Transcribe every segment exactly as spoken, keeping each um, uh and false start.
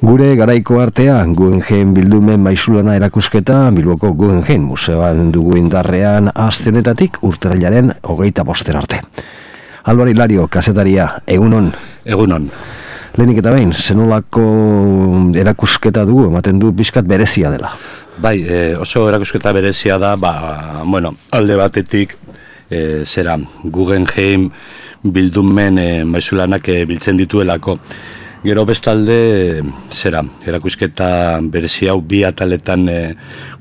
Gure garaiko artea, Guggenheim bildumen maisulana erakusketa Bilboko Guggenheim museoan dugu indarrean aste honetatik urtarrilaren hogeita boster arte. Alvar Hilario, kazetaria, egunon. Egunon. Lehenik eta behin, zenolako erakusketa dugu, ematen du pixkat berezia dela. Bai, e, oso erakusketa berezia da, ba, bueno, alde batetik, e, zera, Guggenheim bildumen e, maisulanak e, biltzen dituelako. Gero bestalde, zera, erakusketa berezia hau bi ataletan e,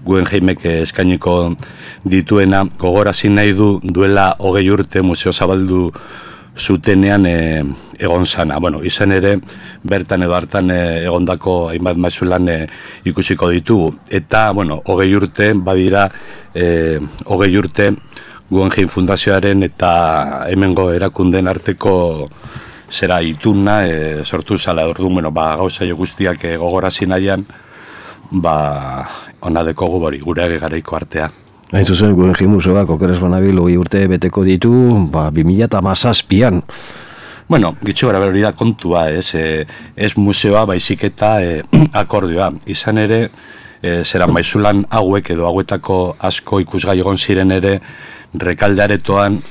Guggenheimek eskainiko dituena, gogorazi nahi du duela hogei urte museo zabaldu zutenean e, egon zana. Bueno, izan ere, bertan edo hartan e, egondako hainbat maisulan e, ikusiko ditugu. Eta, bueno, hogei urte, badira, e, hogei urte Guggenheim Fundazioaren eta hemengo erakunden arteko zera ituna e, sortu zala. Orduan, bueno, ba, gauza jo guztiak e, gogorazi nahian, ba, ona dekogu bori, gure garaiko artea. Hain zuzen, Guggenheim museoak okeres banabil hogei urte beteko ditu, ba, bi mila hamazazpian. Bueno, gitxo gara hori da kontua, ez, e, ez museoa baizik eta e, akordioa. Izan ere, e, zera maisulan hauek edo hauetako asko ikusgai egon ziren ere, rekaldearetoan,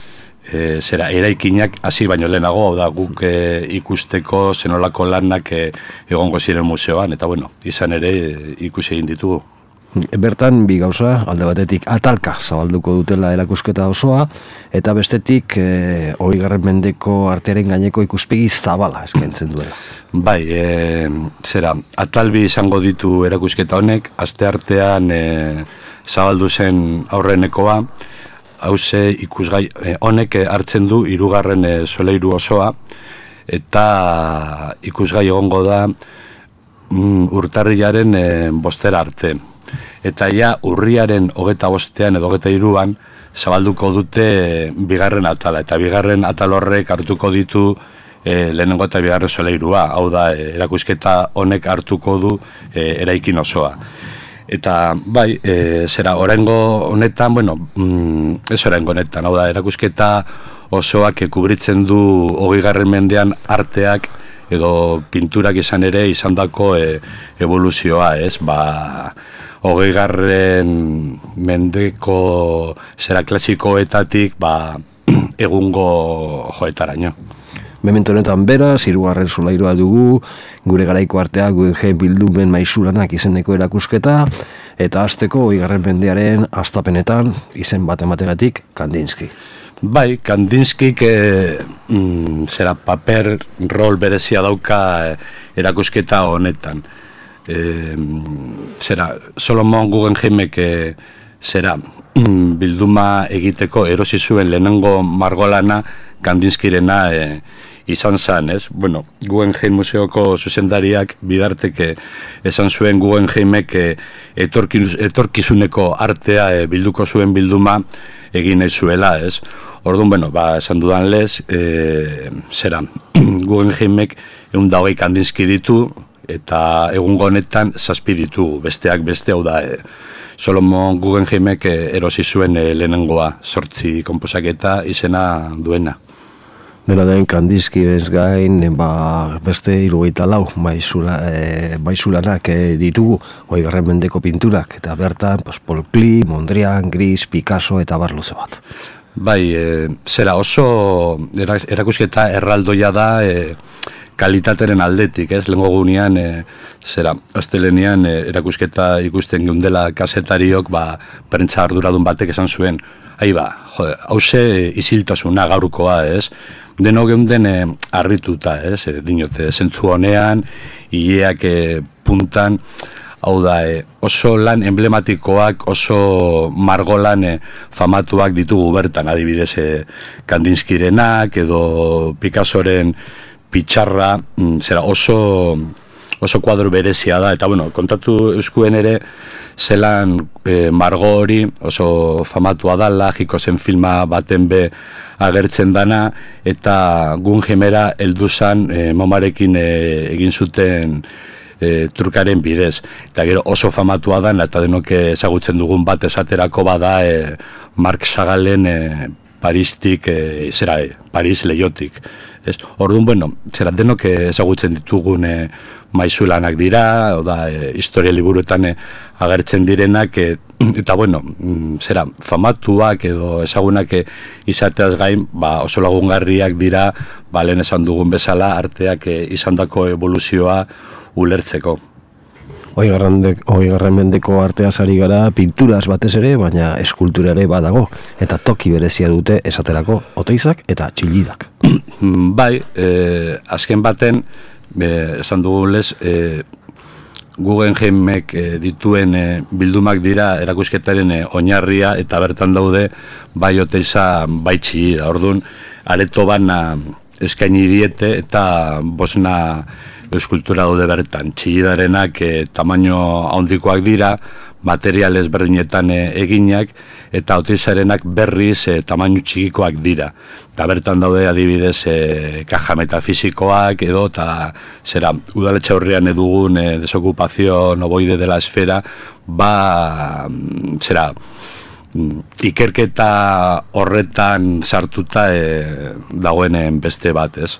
e, zera eraikinak hasi baino lehenago, hau da guk e, ikusteko zenolako lanak e, egongo ziren museoan, eta bueno, izan ere e, ikusi egin ditugu. Bertan, bi gauza, alde batetik atalka zabalduko dutela erakusketa osoa, eta bestetik, e, hogeigarren mendeko artearen gaineko ikuspegi zabala eskaintzen duela. Bai, e, zera, atalbi izango ditu erakusketa honek, aste artean e, zabaldu zen aurrenekoa, hauze ikusgai e, honek hartzen du hirugarren e, soleiru osoa, eta ikusgai egongo da mm, urtarrilaren e, bostera arte. Eta ja urriaren hogeta bostean edo hogeta hiruan zabalduko dute bigarren atala. Eta bigarren atal horrek hartuko ditu e, lehenengo eta bigarren soleirua. Hau da, e, erakusketa honek hartuko du e, eraikin osoa. Eta bai, e, zera, oraingo honetan, bueno, mm, ez oraingo honetan, hau da, erakusketa osoak kubritzen du hogeigarren mendean arteak edo pinturak izan ere izandako e, evoluzioa, ez, ba, hogeigarren mendeko zera klasikoetatik ba, egungo joetaraino. Memento honetan beraz, hirugarren solairua dugu, gure garaiko artea Guggenheim bildumen maisulanak izeneko erakusketa, eta hasteko hogeigarren mendearen hastapenetan izen bat emategatik Kandinsky. Bai, Kandinskik e, mm, zera paper rol berezia dauka e, erakusketa honetan. E, zera, Solomon Guggenheimek e, zera mm, bilduma egiteko erosi zuen lehenengo margolana Kandinskirena e, izan zen, ez? Bueno, Guggenheim museoko zuzendariak bidarteke esan zuen Guggenheimek e, etorkiz, etorkizuneko artea e, bilduko zuen bilduma egin nahi zuela, ez? Orduan, bueno, ba, esan dudan lez, e, zera, Guggenheimek egun da hogei Kandinsky ditu, eta egungo honetan zazpi ditugu, besteak beste, hau da, e, Solomon Guggenheimek e, erosi zuen e, lehenengoa, sortzi konposaketa izena duena. Dena den, Kandinsky ez gain, ba, beste hirurogeita lau maisula, e, maisulanak e, ditugu, hogeigarren mendeko pinturak, eta bertan, pues, Paul Klee, Mondrian, Gris, Picasso eta bar luze bat. Bai, e, zera oso erakusketa erraldoia da e, kalitateren aldetik, ez? Lehengo gunean, e, zera, astelenean e, erakusketa ikusten geundela kazetariok, ba, prentza arduradun batek esan zuen, ahi ba, jode, hauze isiltasuna gaurkoa, ez? Deno geunden e, arrituta, ez? E, dinote, zentzu honean, hileak e, puntan, hau da, e, oso lan emblematikoak, oso margolan e, famatuak ditugu bertan, adibidez e, Kandinskirenak edo Picassoren pitxarra, mm, zera oso, oso kuadro berezia da, eta bueno, kontatu euskuen ere, zelan e, margo hori oso famatua dala, jiko zen filma baten be agertzen dana, eta Guggenheimera heldu zan e, momarekin e, egin zuten E, trukaren bidez. Eta gero oso famatua da, eta denok ezagutzen dugun bat esaterako bada e, Marc Chagallen e, Paristik, e, zera, e, Paris leiotik. Orduan, bueno, zera denok ezagutzen ditugun e, maizulanak dira, oda, e, historia liburuetan e, agertzen direnak, e, eta bueno, zera, famatuak edo ezagunak e, izateaz gain, ba, oso lagungarriak dira, ba, lehen esan dugun bezala, arteak e, izandako evoluzioa ulertzeko. Hogeigarren mendeko arteaz ari gara pinturaz batez ere, baina eskultura ere badago, eta toki berezia dute esaterako oteizak eta txilidak. Bai, eh, azken baten, eh, esan dugu lez, eh, Guggenheimek eh, dituen eh, bildumak dira erakusketaren eh, oinarria, eta bertan daude bai oteiza bai txilida. Orduan, areto bana eskaini diete eta bosna eskultura daude bertan. Txilidarenak e, tamaino handikoak dira, material ezberdinetan e, eginak, eta oteizarenak berriz e, tamaino txikikoak dira. Eta bertan daude adibidez e, kaja metafisikoak edo, eta zera, udaletxe aurrean edugun e, desokupazio ovoide de la esfera, ba, zera, ikerketa horretan sartuta e, dagoen beste bat, ez?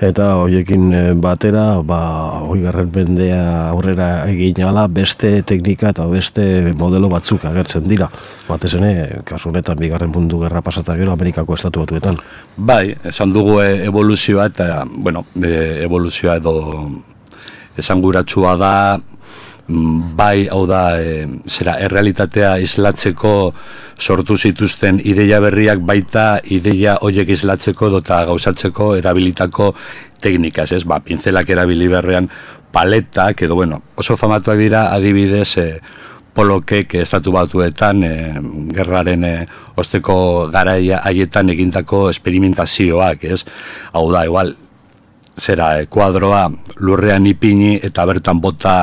Eta horiekin batera, ba, hogeigarren mendea aurrera egin ala, beste teknika eta beste modelo batzuk agertzen dira. Batez ere, kasu honetan, bigarren mundu gerra pasata gero Amerikako estatu batuetan. Bai, esan dugu evoluzioa, eta, bueno, evoluzioa edo esanguratsua da, bai, hau da, e, zera, errealitatea islatzeko sortu zituzten ideia berriak, baita ideia horiek islatzeko dota gauzatzeko erabilitako teknikaz, ez? Ba, pintzelak erabili berrean, paletak, edo, bueno, oso famatuak dira adibidez e, polokek estatu batuetan e, gerraren e, osteko garaia haietan egindako esperimentazioak, ez? Hau da, igual, zera, e, kuadroa lurrean ipini eta bertan bota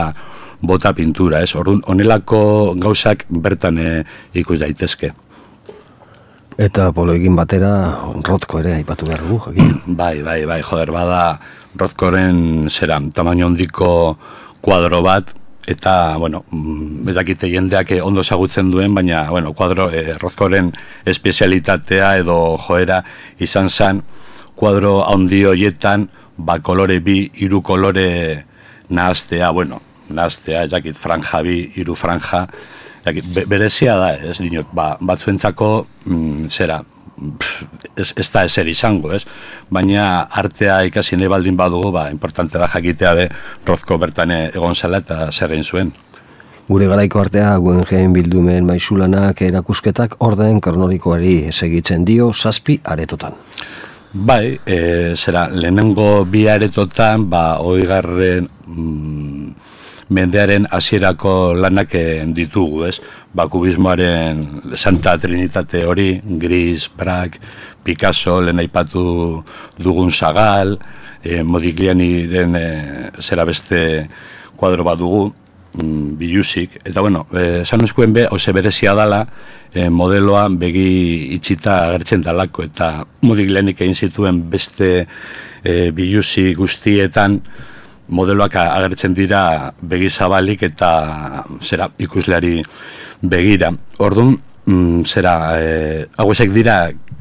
bota pintura, ez? Orduan, honelako gauzak bertan e, ikus daitezke. Eta poloekin batera Rothko ere aipatu behar dugu, jakin? Bai, bai, bai, joder, bada Rothkoren zera, tamaino handiko kuadro bat, eta, bueno, bedakite jendeak ondo ezagutzen duen, baina, bueno, kuadro, e, Rothkoren espezialitatea edo joera izan zen, kuadro handi horietan, ba, kolore bi, hiru kolore nahaztea, bueno, nahaztea, jakit, franja bi, hiru franja, jakit, be, berezia da, ez dinot, ba, batzuentzako, mm, zera, pff, ez, ez da ezer izango, ez? Baina artea ikasi nahi baldin badugu, ba, importante da jakitea de Rothko bertan egon zela eta zer egin zuen. Gure garaiko artea, Guggenheim bildumen maizulanak erakusketak orden kronologikoari segitzen dio zazpi aretotan. Bai, e, zera, lehenengo bi aretotan, ba, hogeigarren mm, mendearen hasierako lanak ditugu, ez? Ba, kubismoaren Santa Trinitate hori, Gris, Braque, Picasso, lehen aipatu dugun Sagal, e, Modiglianiren e, zera beste kuadro bat dugu, mm, bilusik, eta bueno, esan e, eskuen be, oze berezia dala, e, modeloa begi itxita agertzen dalako, eta Modiglianik egin zituen beste e, bilusi guztietan, modeloak agertzen dira begi zabalik eta zera ikusleari begira. Orduan, mm, zera, e, hauek dira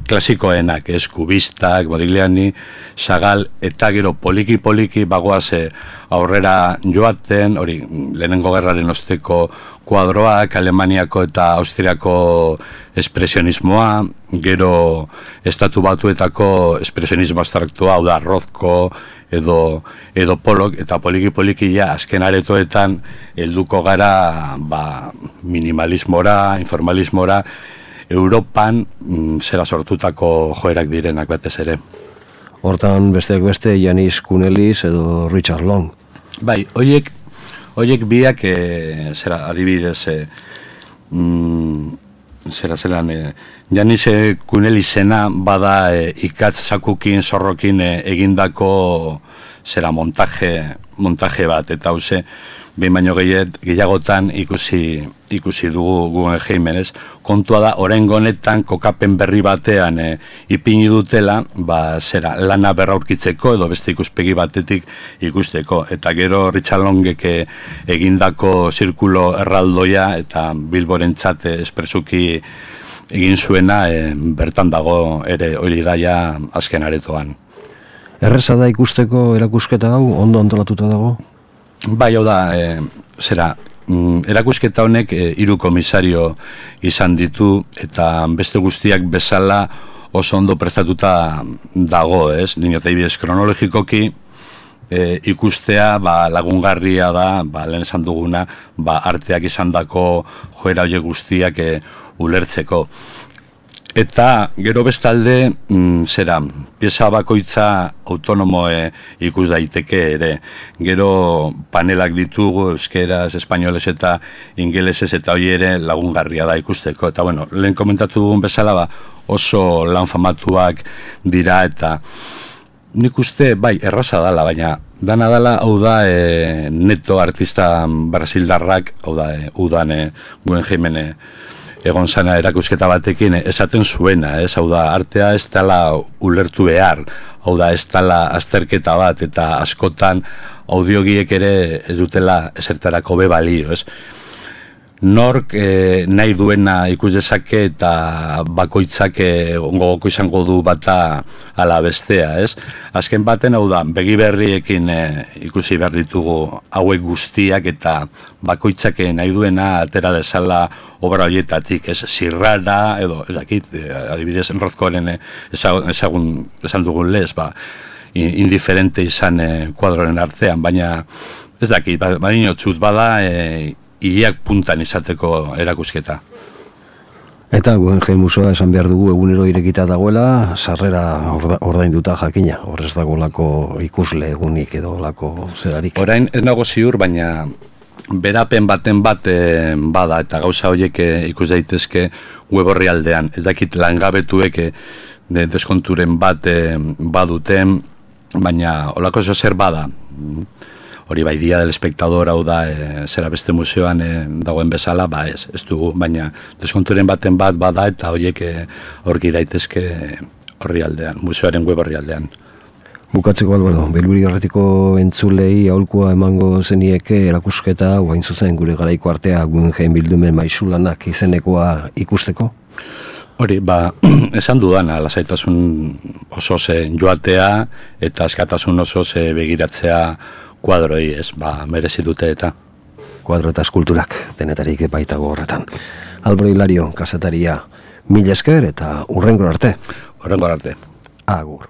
klasikoenak, ez, kubistak, Modigliani, Sagal, eta gero poliki-poliki bagoaz aurrera joaten, hori, lehenengo gerraren osteko kuadroak, Alemaniako eta Austriako espresionismoa, gero estatu batuetako espresionismo abstraktua, hau da, Rothko, edo, edo Pollock, eta poliki-poliki ja, azken aretoetan, helduko gara, ba, minimalismora, informalismora, Europan mm, zera sortutako joerak direnak batez ere. Hortan besteak beste Janis Kunelis edo Richard Long. Bai, hoiek hoiek biak e, zera adibidez e, mm, zera zelan e, Janis Kunelisena bada e, ikatz sakukin zorrokin e, egindako zera montaje montaje bat, eta hauze behin baino gehiagotan ikusi, ikusi dugu Guggenheimen, ez? Kontua da, oraingo honetan kokapen berri batean e, ipini dutela, ba, zera, lana berraurkitzeko edo beste ikuspegi batetik ikusteko. Eta gero Richard Longek egindako zirkulo erraldoia eta Bilborentzat espresuki egin zuena, e, bertan dago ere hori daia azken aretoan. Erreza da ikusteko erakusketa hau, ondo antolatuta dago? Bai, hau da, e, zera, mm, erakusketa honek e, hiru komisario izan ditu, eta beste guztiak bezala oso ondo prestatuta dago, ez? Dinotibidez kronologikoki, e, ikustea ba, lagungarria da, ba, lehen esan duguna, ba, arteak izan dako joera horiek guztiak e, ulertzeko. Eta gero bestalde, mm, zera, pieza bakoitza autonomo e, ikus daiteke ere. Gero panelak ditugu, euskeraz, espainolez eta ingelesez, eta hori ere lagungarria da ikusteko. Eta bueno, lehen komentatu dugun bezala, ba, oso lan famatuak dira, eta nik uste, bai, erraza dala, baina dana dala, hau da, e, neto artista brasildarrak, hau da, e, udan e, Guggenheimen e, egon zana erakusketa batekin esaten zuena, ez, hau da, artea ez dela ulertu behar, hau da, ez dela azterketa bat, eta askotan audiogiek ere ez dutela esertarako be balio, ez. Nork e, nahi duena ikus dezake eta bakoitzak e, ongogoko izango du bata ala bestea, ez? Azken baten, hau da, begi berriekin e, ikusi behar ditugu hauek guztiak eta bakoitzak nahi duena atera dezala obra horietatik, ez? Zirrara, edo, ez dakit, e, adibidez, Rozkoren e, ezagun, esan dugun lez, ba, indiferente izan e, kuadroren artean, baina ez dakit, baina txut bada, e, ileak puntan izateko erakusketa. Eta Guggenheim Museoa esan behar dugu egunero irekita dagoela, sarrera orda, ordainduta jakina, horrez dagolako ikusle egunik edo lako zerarik. Orain ez nago ziur, baina berapen baten bat e, bada, eta gauza horiek e, ikus daitezke web horri aldean. Ez dakit langabetuek e, de, deskonturen bat e, baduten, baina olako zo zer bada. Hori bai, Dia del Espectador, hau da, e, zera beste museoan e, dagoen bezala, ba ez, ez dugu, baina deskonturen baten bat bada eta horiek e, aurki daitezke horri aldean, museoaren web horri aldean. Bukatzeko, Alberto, Bilbiri Horretiko entzulei aholkua emango zenieke erakusketa, guain zuzen gure garaiko artea Guggenheim bildumen maisulanak izenekoa ikusteko? Hori, ba, esan dudana, lasaitasun oso ze joatea eta askatasun oso ze begiratzea kuadroi, ez, ba, merezi dute eta. Kuadro eta eskulturak, denetarik baitago horretan. Alberto Hilario, kasetaria, mila esker eta hurrengo arte. Hurrengo arte. Agur.